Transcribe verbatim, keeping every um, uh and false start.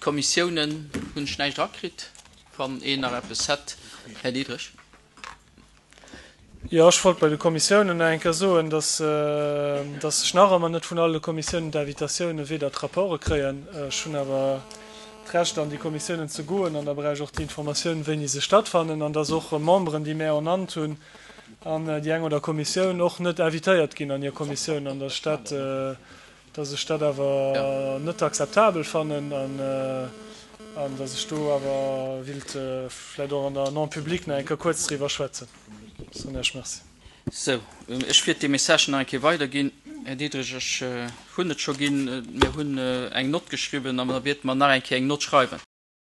Kommissiounen hunn ech näischt erakritt. Wann een nach eppes hätt, Här Diderich. Jo, ech wollt bei de Kommissiounen nach eng Kéier soen, dass, dass ech nach ëmmer net vun alle Kommissiounen d'Invitatiounen weder d'Rapporte kréien. Ech hunn awer d'Recht, an déi Kommissiounen ze goen, an da brauch ech och déi Informatioun, wéini se stattfannen, an dass och Memberen, déi mär ernannt hunn an déi eng oder Kommissioun, och net invitéiert ginn an hir Kommissioun, an dass ech dat, dass ech dat awer net akzeptabel fannen an, an dass ech do awer willt vläicht och an der en public nach eng Kéier kuerz driwwer schwätzen. Soen Iech Merci. Sou, ech wiert dee Message nach eng Kéier weiderginn. Här Diderich, ech hunn et scho ginn. Mir hunn eng Nott geschriwwen an da wierte mer nach eng Kéier eng Nott schreiwen.